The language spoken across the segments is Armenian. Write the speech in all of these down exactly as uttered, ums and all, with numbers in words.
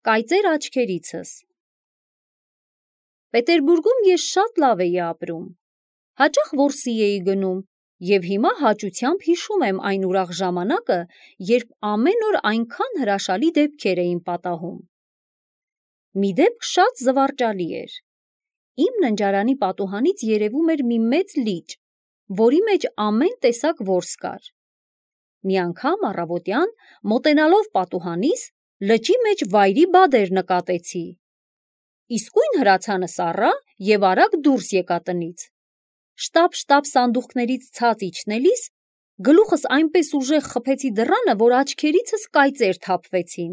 Կայծեր աչքերիցս։ Պետերբուրգում ես շատ լավ էի ապրում։ Հաճախ որսի էի գնում և հիմա հաճությամբ հիշում եմ այն ուրախ ժամանակը, երբ ամեն օր այնքան հրաշալի դեպքեր էին պատահում։ Մի դեպք շատ զվարճալի էր։ Իմ ննջարանի պատուհանից երևում էր մի մեծ լիճ, որի մեջ ամեն տեսակ որս կար։ Մի անգամ առավոտյան, մոտենալով պատուհանիս, լճի մեջ վայրի բադեր նկատեցի։ Իսկույն հրացանս առա և արագ դուրս եկա տնից։ Շտապ-շտապ սանդուղքներից ցած իջնելիս, գլուխս այնպես ուժեղ խփեցի դռանը, որ աչքերիցս կայծեր թափվեցին։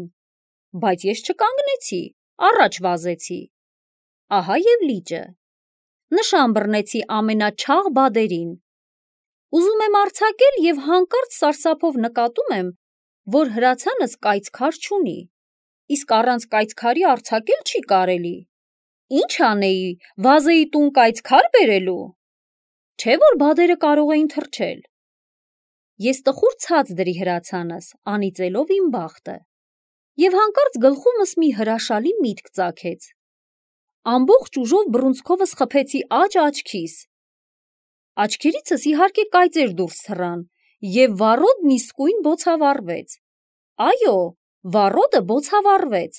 Բայց ես չկանգնեցի, առաջ վազեցի։ Ահա և լիճը։ Նշան բռնեցի ամենաչաղ բադերին։ Ուզում եմ արձակել և հանկարծ սարսափով նկատում եմ, որ հրացանս կայծքար չունի, իսկ առանց կայծքարի արձակել չի կարելի։ Ի՞նչ անեի, վազեի տուն կայծքար բերելու։ Չէ՞ որ բադերը կարող էին թռչել։ Ես տխուր ցած դրի հրացանս, անիծելով իմ բախտը։ Եվ հանկարծ գլխումս մի հրաշալի միտք ծագեց։ Ամբողջ ուժով բռունցքովս խփեցի աջ աչքիս։ Աչքերիցս իհարկե կայծեր դուրս թռան, և վառոդն իսկույն բոցավառվեց։ Այո, վառոդը բոցավառվեց,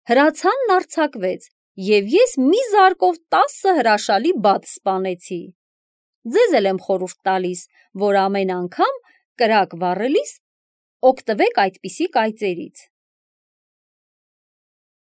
հրացանն արձակվեց, և ես մի զարկով տասը հրաշալի բադ սպանեցի։ Ձեզ էլ եմ խորհուրդ տալիս, որ ամեն անգամ կրակ վառելիս օգտվեք այդպիսի կայծերից։